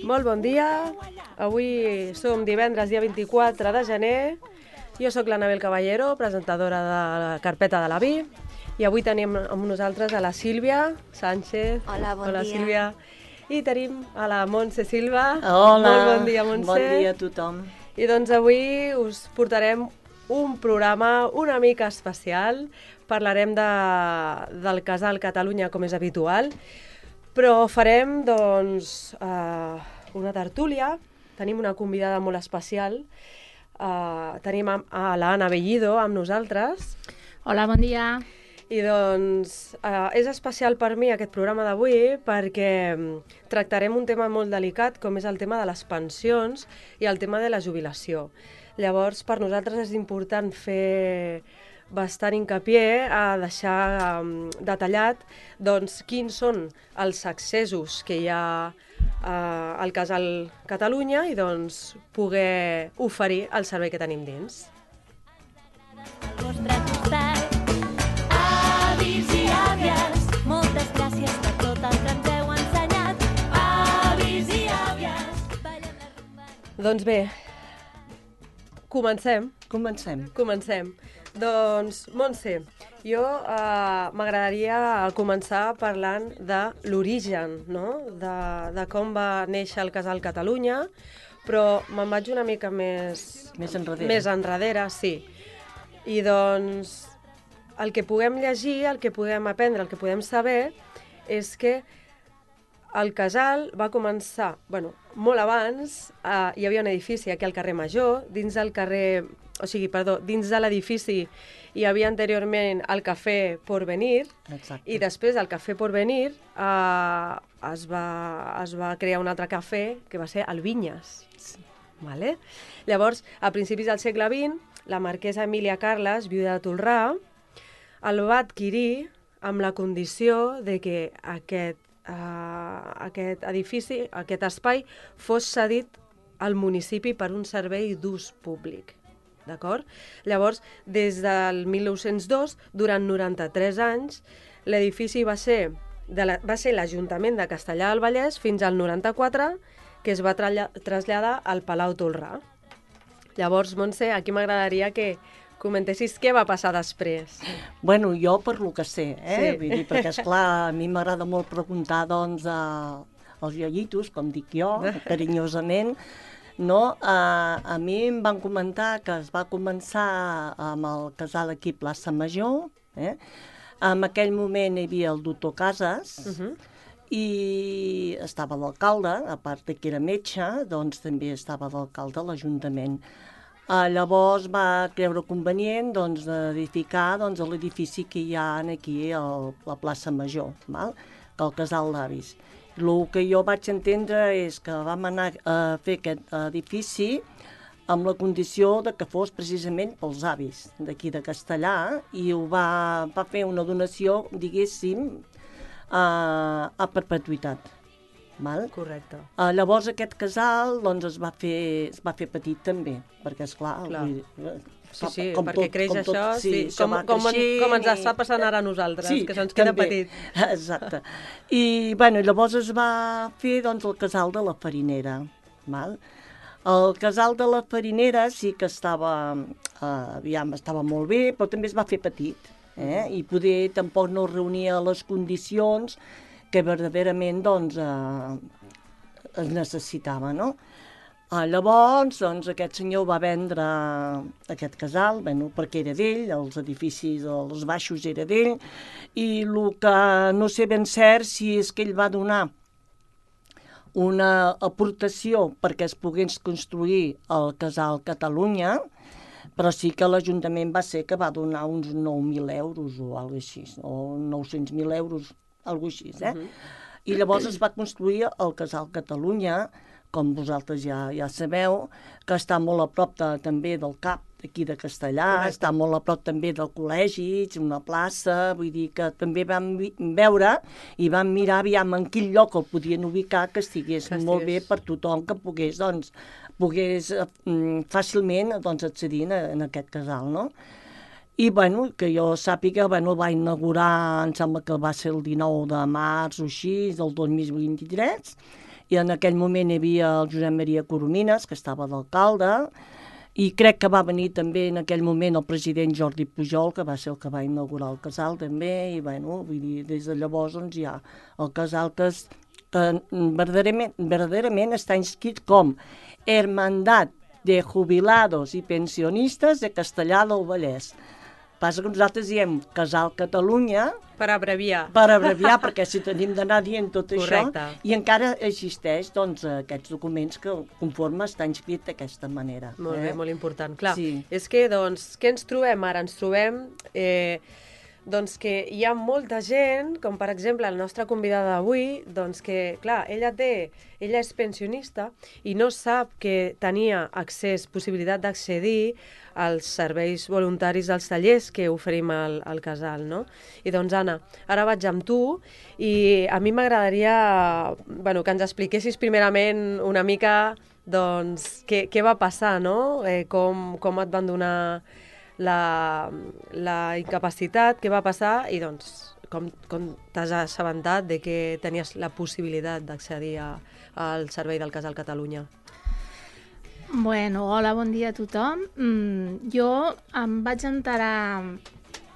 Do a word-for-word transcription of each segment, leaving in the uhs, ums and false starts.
Molt bon dia. Avui som divendres, dia vint-i-quatre de gener. Jo sóc l'Anabel Caballero, presentadora de la Carpeta de la Vi. I avui tenim amb nosaltres a la Sílvia Sánchez. Hola, bon Hola, dia. Sílvia. I tenim a la Montse Silva. Hola. Molt bon dia, Montse. Bon dia a tothom. I doncs avui us portarem un programa una mica especial. Parlarem de, del casal Catalunya, com és habitual, però farem, doncs, uh, una tertúlia. Tenim una convidada molt especial. Uh, tenim a, a l'Anna Bellido amb nosaltres. Hola, bon dia. I doncs uh, és especial per mi aquest programa d'avui perquè tractarem un tema molt delicat com és el tema de les pensions i el tema de la jubilació. Llavors, per nosaltres és important fer bastant hincapié a deixar um, detallat doncs, quins són els accessos que hi ha uh, al casal Catalunya i doncs, poder oferir el servei que tenim dins. Al vostre costat, avis i àvies, moltes gràcies per tot el que ens heu ensenyat. Avis i àvies, ballen la rumba. Doncs bé, comencem. Comencem. Comencem. Doncs, Montse, jo eh, m'agradaria començar parlant de l'origen, no? de, de com va néixer el casal Catalunya, però me'n vaig una mica més... Més enrere. Més enrere, sí. I doncs, el que puguem llegir, el que puguem aprendre, el que podem saber, és que el casal va començar, bueno, molt abans, eh, hi havia un edifici aquí al carrer Major, dins del carrer... O sigui, perdó, dins de l'edifici hi havia anteriorment el Cafè Porvenir. Exacte. I després del Cafè Porvenir eh, es, va, es va crear un altre cafè que va ser el Vinyes. Sí. Vale? Llavors, a principis del segle vint, la marquesa Emília Carles, viuda de Tolrà, el va adquirir amb la condició de que aquest, eh, aquest edifici, aquest espai, fos cedit al municipi per un servei d'ús públic. D'acord? Llavors, des del mil nou-cents dos, durant noranta-tres anys, l'edifici va ser, de la, va ser l'Ajuntament de Castellar del Vallès fins al noranta-quatre, que es va tralla, traslladar al Palau Tolrà. Llavors, Montse, aquí m'agradaria que comentessis què va passar després. Bueno, jo per lo que sé, eh? Sí. Vull dir, perquè, esclar, a mi m'agrada molt preguntar, doncs, a, als iayitos, com dic jo, carinyosament, no? A, a mi em van comentar que es va començar amb el casal aquí a Plaça Major, eh? En aquell moment hi havia el doctor Casas, Uh-huh. i estava l'alcalde, a part de que era metge, doncs també estava l'alcalde a l'Ajuntament. Uh, llavors va creure convenient doncs, edificar doncs, l'edifici que hi ha aquí a la plaça Major, val? Que el casal d'avis. El que jo vaig entendre és que vam anar a fer aquest edifici amb la condició de que fos precisament pels avis d'aquí de Castellar i ho va, va fer una donació, diguéssim, a, a perpetuïtat. Val? Correcte. Uh, llavors aquest casal doncs, es, va fer, es va fer petit també, perquè esclar... Clar. Vull dir, Sí, sí, com perquè tot, creix com tot, això, sí, sí, com, va com, creixent com ens i- està passant ara a nosaltres, Sí, que se'ns queda també. petit. Exacte. I bueno, llavors es va fer doncs, el casal de la Farinera. Val? El casal de la Farinera sí que estava, eh, aviam, estava molt bé, però també es va fer petit. Eh? I poder tampoc no reunia les condicions que verdaderament doncs, eh, es necessitava, no? Ah, llavors, doncs, aquest senyor va vendre aquest casal, bueno, perquè era d'ell, els edificis, els baixos era d'ell, i el que no sé ben cert si és que ell va donar una aportació perquè es pogués construir el casal Catalunya, però sí que l'Ajuntament va ser que va donar uns nou mil euros o alguna cosa així, o nou-cents mil euros, alguna cosa així, eh? Uh-huh. I llavors es va construir el casal Catalunya, com vosaltres ja, ja sabeu, que està molt a prop de, també del cap d'aquí de Castellar, Correcte. està molt a prop també del col·legi, una plaça, vull dir que també vam vi- veure i vam mirar aviam en quin lloc el podien ubicar que estigués, Que estigués. molt bé per tothom que pogués, doncs, pogués eh, mm, fàcilment doncs, accedir en, en aquest casal, no? I, bueno, que jo sàpiga, bueno, el va inaugurar, em sembla que va ser el dinou de març o així, del dos mil vint-i-tres, i en aquell moment hi havia el Josep Maria Coromines, que estava d'alcalde, i crec que va venir també en aquell moment el president Jordi Pujol, que va ser el que va inaugurar el casal també, i bueno, vull dir, des de llavors doncs, hi ha el casal que, és, que verdaderament, verdaderament està inscrit com Hermandad de Jubilados i Pensionistes de Castellar del Vallès. Passa que nosaltres diem Casal Catalunya Per abreviar. per abreviar, perquè si tenim d'anar dient tot Correcte. això, i encara existeix doncs, aquests documents que conforme està inscrit d'aquesta manera. Molt bé, eh? molt important. Clar, Sí. és que, doncs, què ens trobem ara? Ens trobem eh, doncs que hi ha molta gent, com per exemple la nostra convidada d'avui, doncs que, clar, ella té, ella és pensionista i no sap que tenia accés, possibilitat d'accedir als serveis voluntaris dels tallers que oferim al, al casal, no? I doncs, Anna, ara vaig amb tu i a mi m'agradaria, bueno, que ens expliquessis primerament una mica, doncs, què, què va passar, no? Eh, com, com et van donar la, la incapacitat, què va passar i, doncs, com, com t'has assabentat de que tenies la possibilitat d'accedir a- al servei del Casal Catalunya. Bueno, hola, bon dia a tothom. Mm, jo em vaig enterar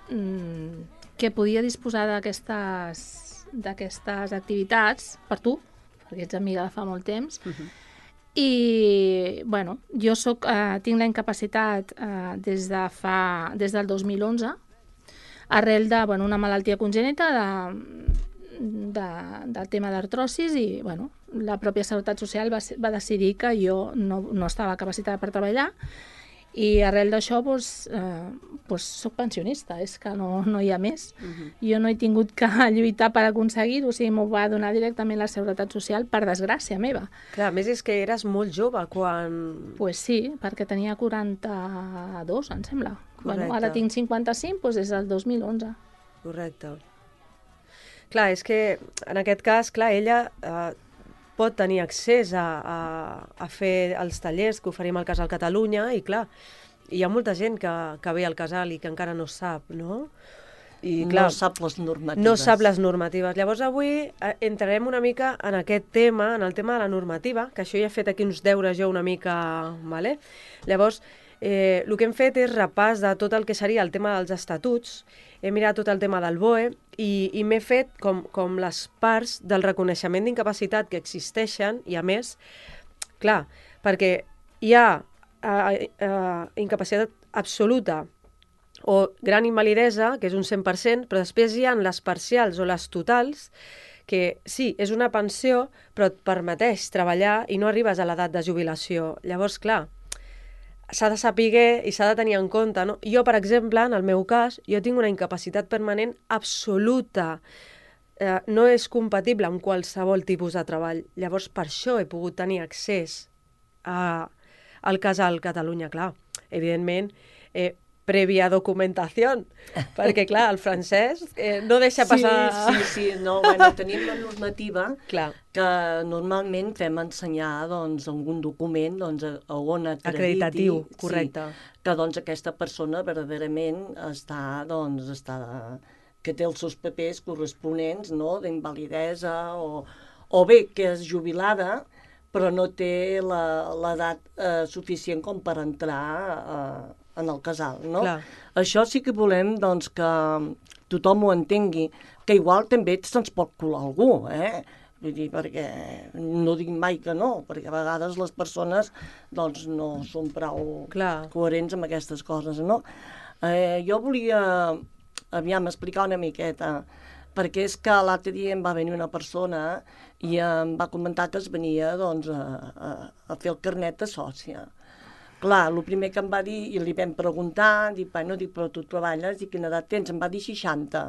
mm, que podia disposar d'aquestes d'aquestes activitats per tu, perquè ets amiga de fa molt temps, Uh-huh. i bueno, jo soc, eh, tinc la incapacitat eh, des, de fa, des del dos mil onze, arrel de bueno, una malaltia congènita de, de, del tema d'artrosis i bueno, la pròpia Seguretat Social va, va decidir que jo no, no estava capacitada per treballar i arrel d'això doncs, eh, doncs soc pensionista, és que no, no hi ha més. Uh-huh. Jo no he tingut que lluitar per aconseguir-ho, o sigui, m'ho va donar directament la Seguretat Social per desgràcia meva. Clar, a més és que eres molt jove quan... Doncs pues sí, perquè tenia quaranta-dos, em sembla. Bueno, Correcte. ara tinc cinquanta-cinc, doncs des del dos mil onze. Correcte. Clar, és que en aquest cas, clar, ella eh, pot tenir accés a, a, a fer els tallers que oferim al Casal Catalunya i, clar, hi ha molta gent que, que ve al casal i que encara no sap, no? I, clar, no sap les normatives. no sap les normatives. Llavors avui eh, entrarem una mica en aquest tema, en el tema de la normativa, que això ja he fet aquí uns deures jo una mica, vale? Llavors, eh, el que hem fet és repàs de tot el que seria el tema dels estatuts, he mirat tot el tema del B O E i, i m'he fet com, com les parts del reconeixement d'incapacitat que existeixen i, a més, clar, perquè hi ha eh, eh, incapacitat absoluta o gran invalidesa, que és un cent per cent, però després hi ha les parcials o les totals, que sí, és una pensió, però et permeteix treballar i no arribes a l'edat de jubilació. Llavors, clar, s'ha de saber i s'ha de tenir en compte, no? Jo, per exemple, en el meu cas, jo tinc una incapacitat permanent absoluta. Eh, no és compatible amb qualsevol tipus de treball. Llavors, per això he pogut tenir accés a, al Casal Catalunya, clar. Evidentment, eh, prèvia documentació, perquè, clar, el francès eh, no deixa passar... Sí, sí, sí, no, bueno, tenim la normativa Clar, que normalment fem ensenyar doncs, algun document doncs, a, a on acrediti acreditatiu, correcte. sí, que doncs, aquesta persona verdaderament està, doncs, està, que té els seus papers corresponents, no?, d'invalidesa o, o bé que és jubilada però no té la- l'edat eh, suficient com per entrar eh, en el casal, no? Clar. Això sí que volem doncs, que tothom ho entengui, que igual també se'ns pot colar algú, eh? Vull dir, perquè no dic mai que no, perquè a vegades les persones doncs, no són prou Clar. coherents amb aquestes coses, no? Eh, jo volia, aviam, explicar una miqueta, perquè és que l'altre dia em va venir una persona i em va comentar que es venia doncs, a, a, a fer el carnet de sòcia. Clar, el primer que em va dir, i li vam preguntar, dic, bueno, dic, però tu treballes, i quina edat tens? Em va dir seixanta,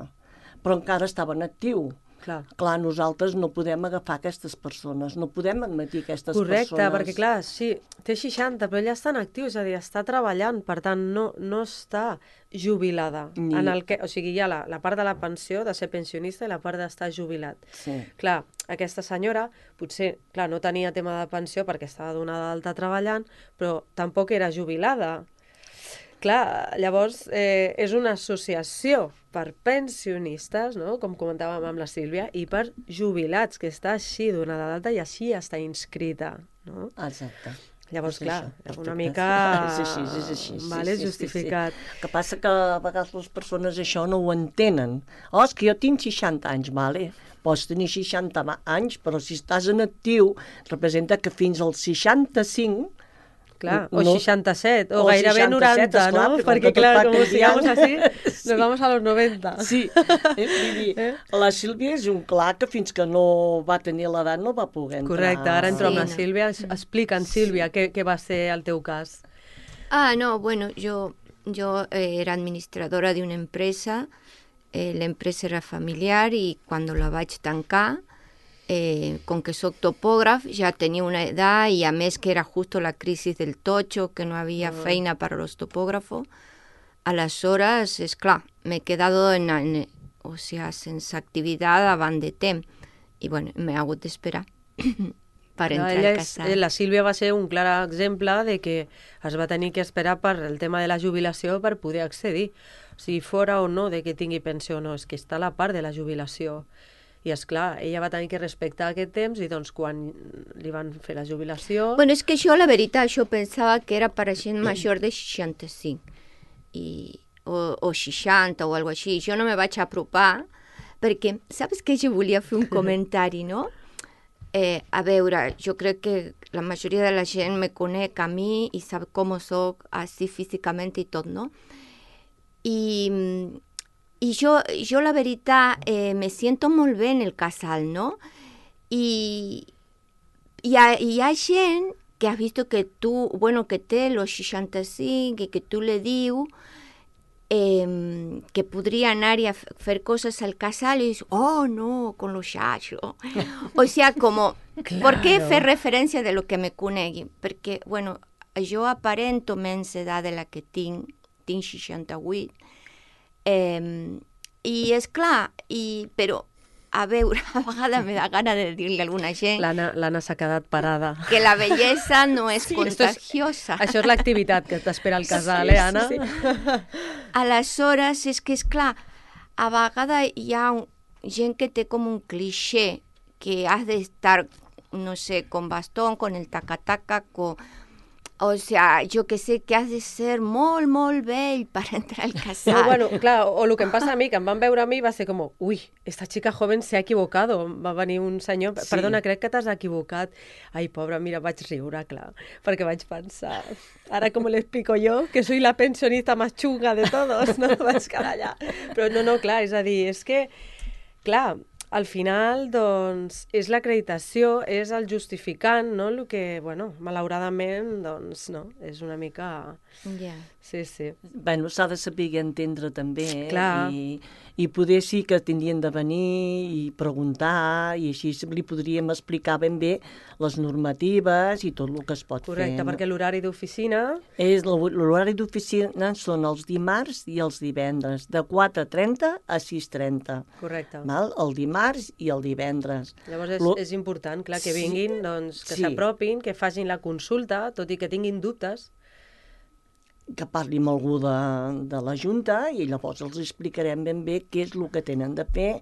però encara estava en actiu. Clar. Clar, nosaltres no podem agafar aquestes persones, no podem admetir aquestes Correcte, persones. perquè clar, sí, té seixanta, però ella està en actiu, és a dir, està treballant, per tant, no, no està jubilada. Ni- En el que, o sigui, hi ha la, la part de la pensió, de ser pensionista, i la part d'estar jubilat. Sí. Clar, aquesta senyora, potser, clar, no tenia tema de pensió perquè estava donada d'alta treballant, però tampoc era jubilada. Clar, llavors, eh, és una associació per pensionistes, no? Com comentàvem amb la Sílvia, i per jubilats, que està així donada d'alta i així està inscrita, no? Exacte. Llavors, És clar, això, una perfecte. mica... És així, és així. Sí, Vale, sí, sí, justificat. Sí, sí. El que passa que a vegades les persones això no ho entenen. Oh, és que jo tinc seixanta anys, vale? Pots tenir seixanta anys, però si estàs en actiu, representa que fins als seixanta-cinc... Clar, o no, seixanta-set, o, o gairebé seixanta-set, noranta, esclar, no? perquè Perquè, tot clar, va com sigamos canviant. así, Sí. nos vamos a los noventa. Sí, eh, vull dir, Eh? la Sílvia és un clar que fins que no va tenir l'edat no va poder entrar. Correcte, ara entro Sí, amb la no. Sílvia. Es- Explica'ns, Sílvia, què, què va ser el teu cas. Ah, no, bueno, yo, yo eh, era administradora de una empresa, eh, la empresa era familiar y cuando la vaig tancar, eh, con que soc topògraf, ja tenia una edat i a més que era justo la crisis del tocho, que no havia feina para los topógrafos, aleshores, és clar, m'he quedado en, en, o sea, sense activitat davant de temps. I bueno, m'he hagut d'esperar per Clar, entrar ella al és, casal. eh, la Sílvia va ser un clar exemple de que es va tenir que esperar per el tema de la jubilació per poder accedir. O sigui, fora o no de que tingui pensió o no, és que està a la part de la jubilació. I és clar, ella va tenir que respectar aquest temps i doncs quan li van fer la jubilació... Bueno, és que jo, la veritat, jo pensava que era per a gent major de seixanta-cinc i, o, o seixanta o alguna així. Jo no me vaig apropar perquè, saps que jo volia fer un comentari, no? Eh, a veure, jo crec que la majoria de la gent me conec a mi i sap com soc així físicament i tot, no? I, i jo, jo la veritat, eh, me siento molt bé en el casal, no? I, hi ha, hi ha gent que ha vist que tu, bueno, que té los seixanta-cinc i que tu le diu eh, que podria anar a fer coses al casal i dius, oh, no, con los xachos. O sea, como, claro. ¿Por qué fer referència de lo que me conegui? Perquè, bueno, jo aparento menys edat de la que tinc, tinc seixanta-vuit, eh, i és clar, i, però a veure, a vegades me da gana de dir-li a alguna gent L'Anna s'ha quedat parada. que la bellesa no és Sí, contagiosa. Això és l'activitat que t'espera al casal, Sí, eh, Anna? sí, sí. Aleshores, és que, és clar, a vegades hi ha un, gent que té com un cliché que has d'estar, no sé, con bastón, con el taca-taca, con... O sea, jo que sé que has de ser molt, molt vell per entrar al casal. No, bueno, clar, o el que em passa a mi, que em van veure a mi, va ser com, ui, esta chica joven se ha equivocado. Va venir un senyor, Sí. perdona, crec que t'has equivocat. Ai, pobra, mira, vaig riure, clar, perquè vaig pensar, ara com le explico yo, que soy la pensionista más chunga de todos, no? Vaig quedar allà. Però no, no, clar, és a dir, és que, clar, al final, doncs, és l'acreditació, és el justificant, no? El que, bueno, malauradament, doncs, no, és una mica... Ja. Sí, sí. Bueno, s'ha de saber entendre també, eh? Clar. I, i poder sí que tindrien de venir i preguntar, i així li podríem explicar ben bé les normatives i tot el que es pot Correcte, fer. perquè l'horari d'oficina... És l'horari d'oficina són els dimarts i els divendres, de quatre trenta a sis trenta. Correcte. Val? El dimarts i el divendres. Llavors és, Lo- és important, clar, que Sí. vinguin, doncs, que Sí. s'apropin, que facin la consulta, tot i que tinguin dubtes. que parli amb algú de, de la Junta i llavors els explicarem ben bé què és el que tenen de fer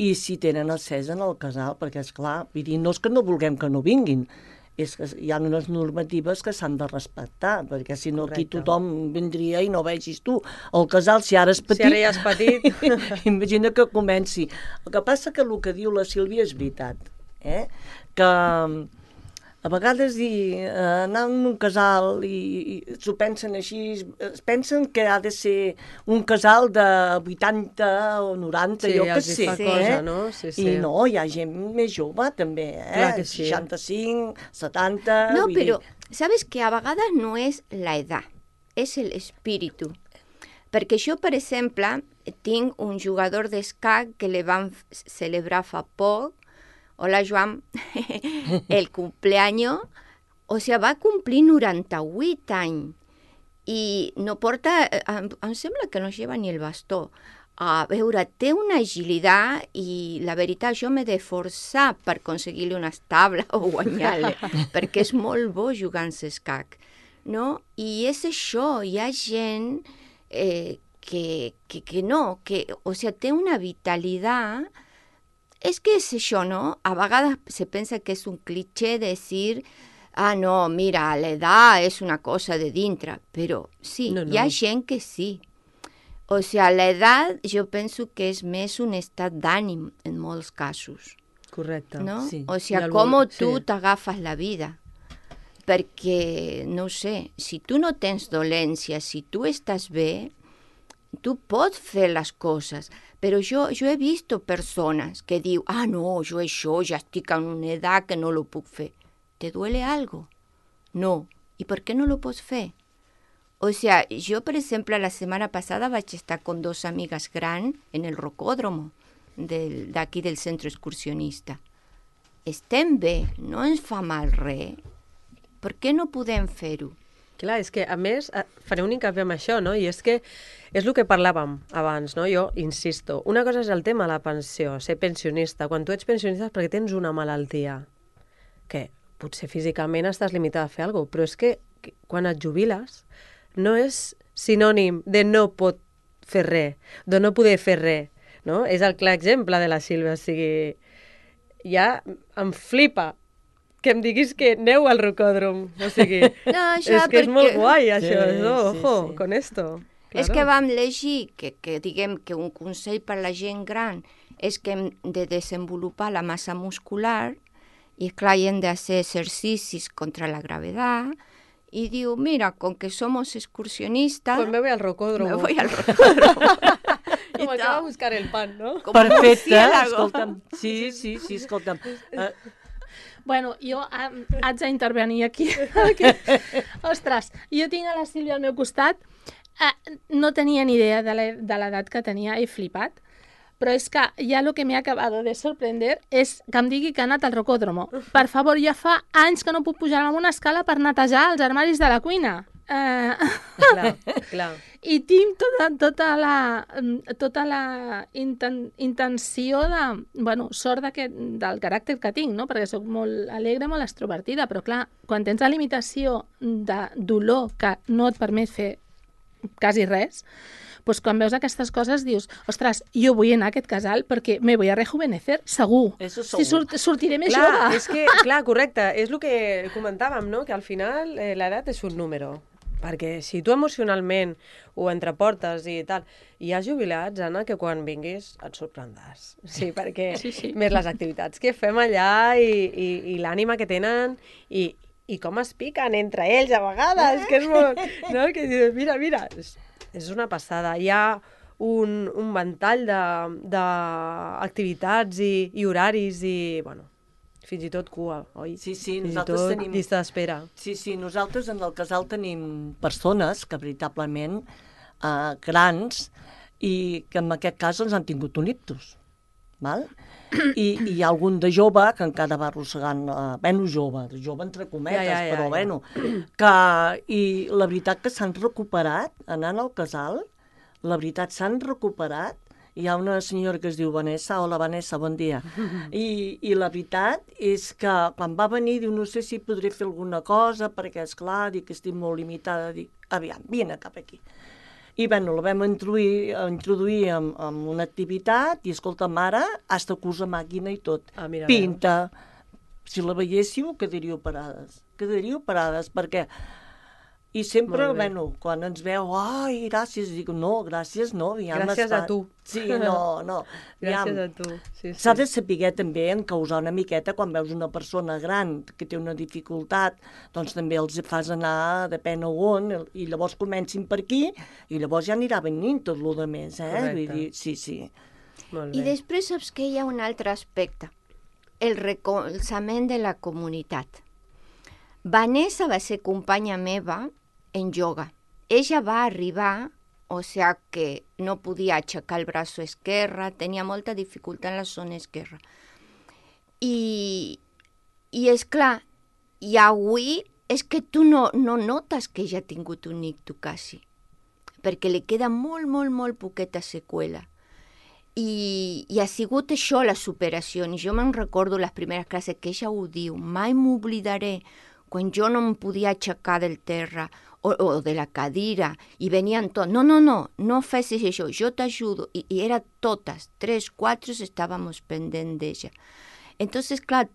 i si tenen accés en el casal, perquè, és clar, vull dir, no és que no vulguem que no vinguin, és que hi ha unes normatives que s'han de respectar, perquè si no aquí Correcte. tothom vindria i no vegis tu. El casal, si ara és petit... Si ara ja és petit... imagina que comenci. El que passa que el que diu la Sílvia és veritat, eh? Que a vegades dir, eh, anar en un casal i, i s'ho pensen així, es pensen que ha de ser un casal de vuitanta o noranta, Sí, jo que els hi sé. fa Sí. cosa, eh? no? Sí, sí. I no, hi ha gent més jove també, eh? Clar que sí. seixanta-cinc, setanta... No, vull però dir, sabes que a vegades no és la edat, és l'espíritu. Perquè jo, per exemple, tinc un jugador d'escac que le van f- celebrar fa poc. Hola, Joan. El cumpleaños, o sea, va complir noranta-vuit anys i no porta, eh, em, em sembla que no lleva ni el bastó. A veure, té una agilitat i la veritat jo m'he de forçar per aconseguir-li unes tables o guanyar-li, perquè és molt bo jugar en escac, no? I és això, hi ha gent eh, que, que, que no, que, o sea, té una vitalitat. És que és això, no? A vegades se pensa que és un cliché decir, ah, no, mira, l'edat és una cosa de dintre, però sí, No, no. hi ha gent que sí. O sea, l'edat jo penso que és més un estat d'ànim en molts casos, Correcte. no? sí. O I sea, el com vol- tu sí. t'agafes la vida. Perquè, no ho sé, si tu no tens dolència, si tu estàs bé, tu pots fer les coses. Però jo, jo he vist persones que diu, ah, no, jo això ja estic en una edat que no lo puc fer. ¿Te duele algo? No. ¿Y por qué no lo pots fer? O sea, jo, per exemple, la setmana passada vaig estar con dos amigues grans en el rocòdromo del, d'aquí del centre excursionista. Estem bé, no ens fa mal res. Per què no podem fer-ho? Clar, és que, a més, eh, faré un hincapié amb això, no? I és que és el que parlàvem abans, no? Jo insisto, una cosa és el tema de la pensió, ser pensionista. Quan tu ets pensionista és perquè tens una malaltia, que potser físicament estàs limitada a fer alguna cosa, però és que, que quan et jubiles no és sinònim de no pot fer res, de no poder fer res, no? És el clar exemple de la Sílvia, o sigui, ja em flipa que em diguis que aneu al rocòdrom, o sigui, No, és que és molt guai això, Sí, no? sí, Ojo, sí. con esto. És que vam llegir que, que diguem que un consell per la gent gran és que hem de desenvolupar la massa muscular i, esclar, hi hem de fer exercicis contra la gravetat i diu, mira, con que somos excursionistas, Pues me voy al rocódromo. me voy al rocòdromo. Como que va a buscar el pan, ¿no? Com Perfecte, murciélago. escolta'm. Sí, sí, sí, escolta'm. Uh, Bueno, jo ah, haig d'intervenir aquí. aquí. Ostres, jo tinc a la Sílvia al meu costat. Eh, no tenia ni idea de la- de l'edat que tenia, he flipat. Però és que ja el que m'ha acabat de sorprender és que em digui que ha anat al rocòdromo. Per favor, ja fa anys que no puc pujar a una escala per netejar els armaris de la cuina. Eh... Clar, clar. I tinc tota, tota la, tota la inten, intenció de... Bueno, sort de que, del caràcter que tinc, no? Perquè sóc molt alegre, molt extrovertida, però clar, quan tens la limitació de dolor que no et permet fer quasi res, doncs quan veus aquestes coses dius, ostres, jo vull anar a aquest casal perquè me voy a rejuvenecer, segur. Eso Si segur. surt, sortiré més Clar, jove. és que, clar, correcte, és el que comentàvem, no? Que al final eh, l'edat és un número. Perquè si tu emocionalment ho entreportes i tal, hi ha jubilats, Anna, que quan vinguis et sorprendràs. Sí, perquè Sí, sí. més les activitats que fem allà i, i, i l'ànima que tenen i, i com es piquen entre ells a vegades, que és molt... No? Que dius, mira, mira, és, és una passada. Hi ha un, un ventall d'activitats i, i horaris i, bueno, fins i tot cua, oi? Sí, sí, Fins i nosaltres tot tenim- llista d'espera. Sí, sí, nosaltres en el casal tenim persones que veritablement eh, grans i que en aquest cas ens han tingut un ictus. Val? I, I hi ha algun de jove que encara va arrossegant, eh, bueno, jove, jove entre cometes, Ja, ja, ja, però ja. bueno, que, i la veritat que s'han recuperat, anant al casal, la veritat s'han recuperat. Hi ha una senyora que es diu Vanessa, hola Vanessa, bon dia. I, I la veritat és que quan va venir diu, no sé si podré fer alguna cosa, perquè és clar, dic que estic molt limitada, dic, aviam, vine cap aquí. I bueno, la vam introduir, introduir en, en una activitat i escolta, mare, hasta que usa màquina i tot. Ah, mira, Pinta. Si la veiéssiu, quedaríeu parades. Quedaríeu parades, perquè... I sempre, Molt bé. bueno, quan ens veu, ai, gràcies, dic, no, gràcies, no, aviam, Gràcies a està- tu. Sí, no, no. Gràcies aviam, a tu. Sí, S'ha sí. de saber també encausar una miqueta quan veus una persona gran que té una dificultat, doncs també els fas anar depèn a on, i llavors comencin per aquí, i llavors ja anirà venint tot el més, eh? Correcte. Vull dir, sí, sí. Molt I bé. després saps que hi ha un altre aspecte, el recolzament de la comunitat. Vanessa va ser companya meva en yoga. Ella va arribar, o sea que no podia aixecar el braç esquerre, tenia molta dificultat en la zona esquerra. I, i és clar, i avui és que tu no, no notes que ella ha tingut un ictus quasi, perquè li queda molt, molt, molt poqueta seqüela. I, i ha sigut això la superació. I jo me'n recordo les primeres classes que ella ho diu, mai m'oblidaré quan jo no em podia aixecar del terra o, o de la cadira, i venien tots, no, no, no, no facis això, jo t'ajudo, i, i era totes, tres, quatre estàvamos pendents d'ella. Entonces, clar,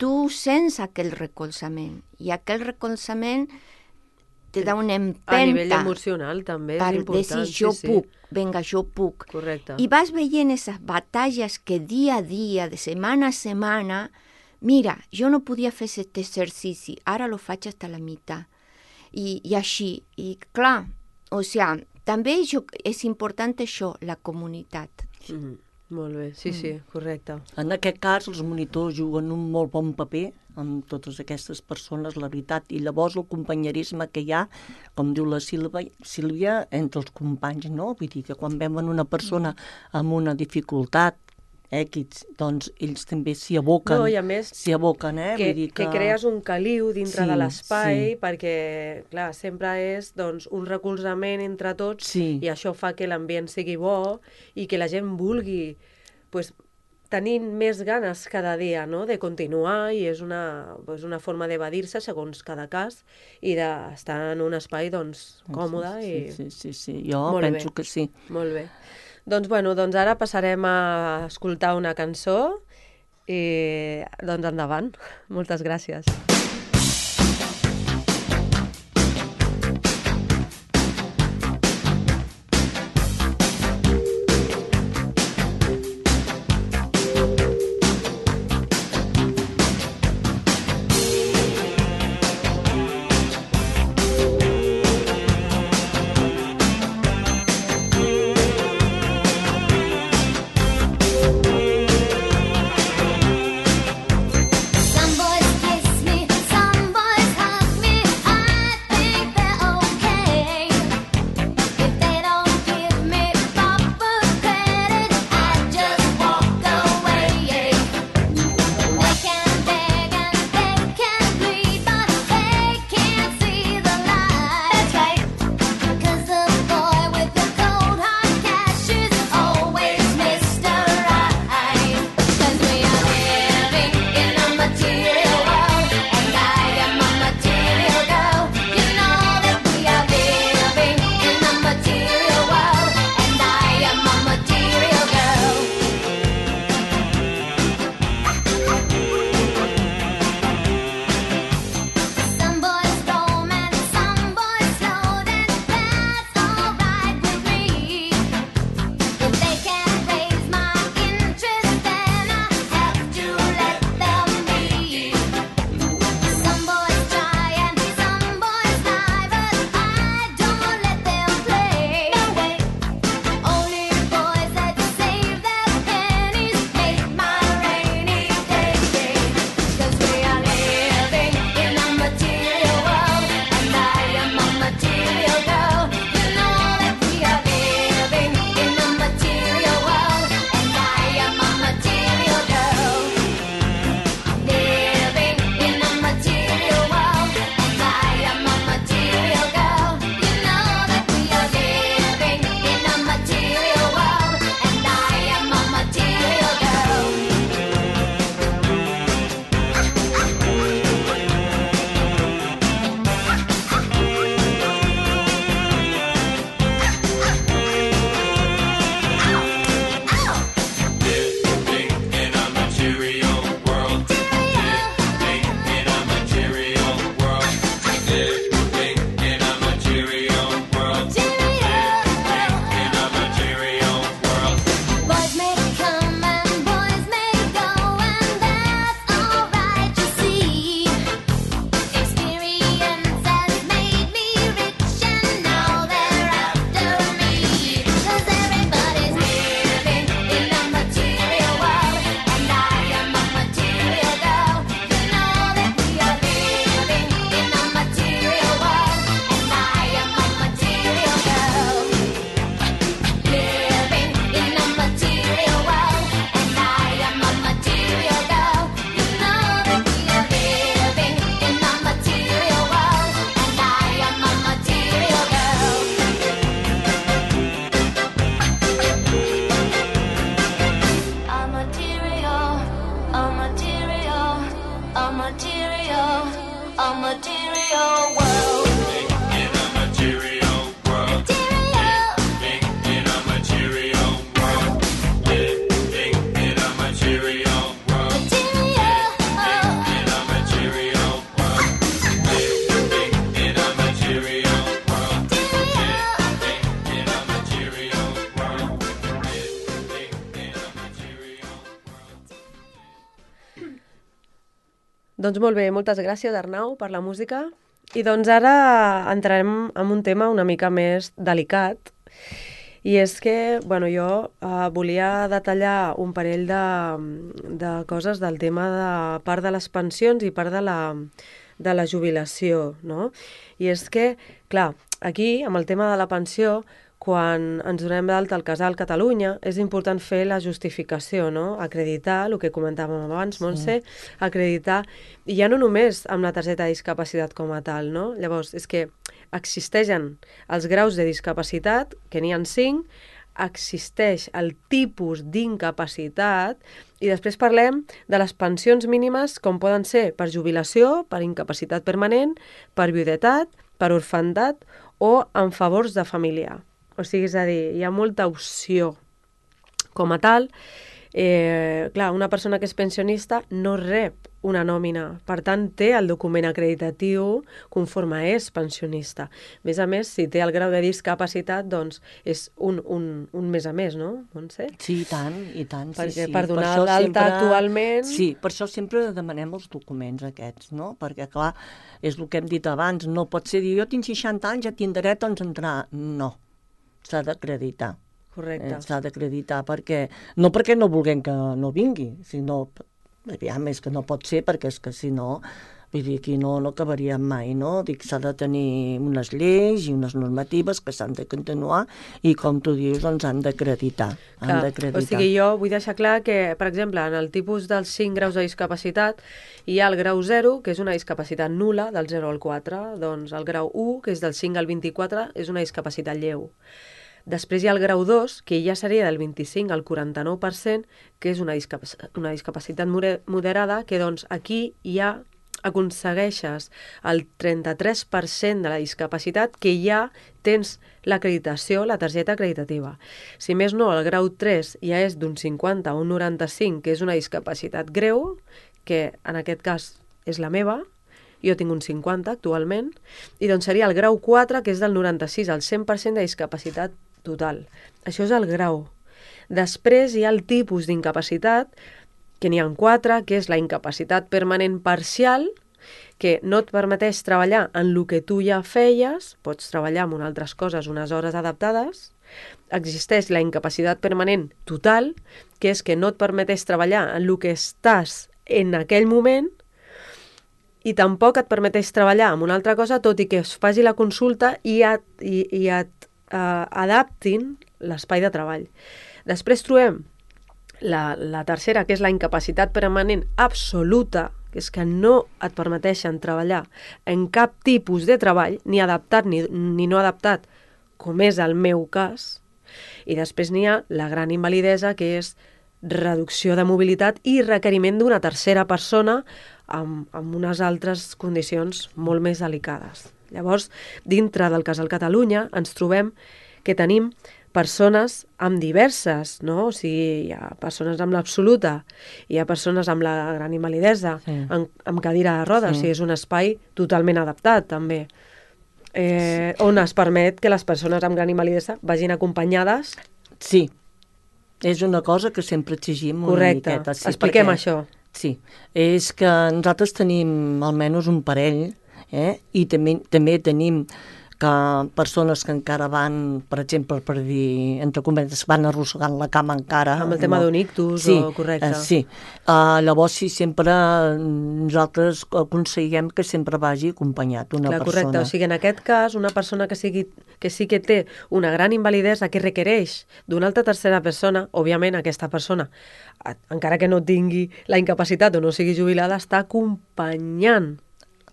tu sents aquell recolzament, i aquell recolzament te da una empenta. A nivell emocional també és important. Per dir, jo sí, puc, sí. venga, jo puc. Correcte. I vas veient aquestes batalles que dia a dia, de setmana a setmana, mira, jo no podia fer aquest exercici, ara lo faig fins a la meitat. I, i així, i clar, o sigui, també jo, és important això, la comunitat. Mm, molt bé, sí, sí, correcte. En aquest cas, els monitors juguen un molt bon paper amb totes aquestes persones, la veritat, i llavors el companyerisme que hi ha, com diu la Sílvia, Sílvia entre els companys, no? Vull dir que quan veuen una persona amb una dificultat, X, doncs ells també s'hi aboquen, no, i a més, s'hi aboquen, eh? Que, Vull dir que... que crees un caliu dintre sí, de l'espai, sí. perquè, clar, sempre és doncs, un recolzament entre tots, sí. i això fa que l'ambient sigui bo i que la gent vulgui pues, tenir més ganes cada dia, no?, de continuar, i és una, pues, una forma d'evadir-se segons cada cas i d'estar en un espai doncs, còmode. Sí, i... sí, sí, sí. Jo Molt penso bé. que sí. Molt bé. Doncs, bueno, doncs ara passarem a escoltar una cançó i doncs endavant. Moltes gràcies. Some boys kiss me Doncs molt bé, moltes gràcies, Arnau, per la música. I doncs ara entrarem en un tema una mica més delicat, i és que, bueno, jo eh, volia detallar un parell de, de coses del tema de part de les pensions i part de la, de la jubilació, no? I és que, clar, aquí, amb el tema de la pensió, quan ens donem d'alta al Casal Catalunya, és important fer la justificació, no? Acreditar, el que comentàvem abans, Montse, sí. acreditar, i ja no només amb la targeta de discapacitat com a tal, no? Llavors, és que existeixen els graus de discapacitat, que n'hi ha cinc, existeix el tipus d'incapacitat, i després parlem de les pensions mínimes, com poden ser per jubilació, per incapacitat permanent, per viudetat, per orfandat o en favors de familiar. O sigui, és a dir, hi ha molta opció com a tal. Eh, clar, una persona que és pensionista no rep una nòmina, per tant, té el document acreditatiu conforme és pensionista. A més a més, si té el grau de discapacitat, doncs és un, un, un més a més, no, Montse? Sí, i tant, i tant. Perquè sí, per sí. donar per l'alta sempre... actualment... Sí, per això sempre demanem els documents aquests, no? Perquè, clar, és el que hem dit abans, no pot ser dir, jo tinc seixanta anys, ja tinc dret a entrar. No. S'ha d'acreditar. Correcte. Eh, s'ha d'acreditar, perquè no perquè no vulguem que no vingui, sinó, aviam, és que no pot ser, perquè és que si no, vull dir, aquí no, no acabaríem mai, no? Dic, s'ha de tenir unes lleis i unes normatives que s'han de continuar i, com tu dius, doncs han d'acreditar. Han d'acreditar. O sigui, jo vull deixar clar que, per exemple, en el tipus dels cinc graus de discapacitat hi ha el grau zero, que és una discapacitat nul·la, del zero al quatre, doncs el grau u, que és del cinc al vint-i-quatre, és una discapacitat lleu. Després hi ha el grau dos, que ja seria del vint-i-cinc al quaranta-nou per cent, que és una, discapac una discapacitat moderada, que doncs aquí ja aconsegueixes el trenta-tres per cent de la discapacitat, que ja tens l'acreditació, la targeta acreditativa. Si més no, el grau tres ja és d'un cinquanta a un noranta-cinc, que és una discapacitat greu, que en aquest cas és la meva, jo tinc un cinquanta actualment, i doncs seria el grau quatre, que és del noranta-sis al cent per cent de discapacitat total. Això és el grau. Després hi ha el tipus d'incapacitat, que n'hi ha quatre, que és la incapacitat permanent parcial, que no et permeteix treballar en el que tu ja feies, pots treballar en altres coses unes hores adaptades. Existeix la incapacitat permanent total, que és que no et permeteix treballar en el que estàs en aquell moment, i tampoc et permeteix treballar en una altra cosa, tot i que es faci la consulta i et, i, i et uh, adaptin l'espai de treball. Després trobem la, la tercera, que és la incapacitat permanent absoluta, que és que no et permeteixen treballar en cap tipus de treball, ni adaptat ni, ni no adaptat, com és el meu cas. I després n'hi ha la gran invalidesa, que és reducció de mobilitat i requeriment d'una tercera persona amb, amb unes altres condicions molt més delicades. Llavors, dintre del Casal Catalunya ens trobem que tenim persones amb diverses, no? O sigui, hi ha persones amb l'absoluta, hi ha persones amb la gran invalidesa, sí. amb, amb cadira de rodes, sí. O sigui, és un espai totalment adaptat, també, eh, sí. on es permet que les persones amb gran invalidesa vagin acompanyades. Sí, és una cosa que sempre exigim una Correcte. miqueta. Sí, expliquem perquè, això. Sí, és que nosaltres tenim almenys un parell, eh? I també, també tenim que persones que encara van, per exemple, per dir, entre cometes, van arrossegant la cama encara. Amb el tema no? d'un ictus, sí, o correcte. Eh, sí, uh, llavors sí, sempre nosaltres aconseguim que sempre vagi acompanyat una Clar, persona. Correcte, o sigui, en aquest cas, una persona que, sigui, que sí que té una gran invalidesa que requereix d'una altra tercera persona, òbviament aquesta persona, encara que no tingui la incapacitat o no sigui jubilada, està acompanyant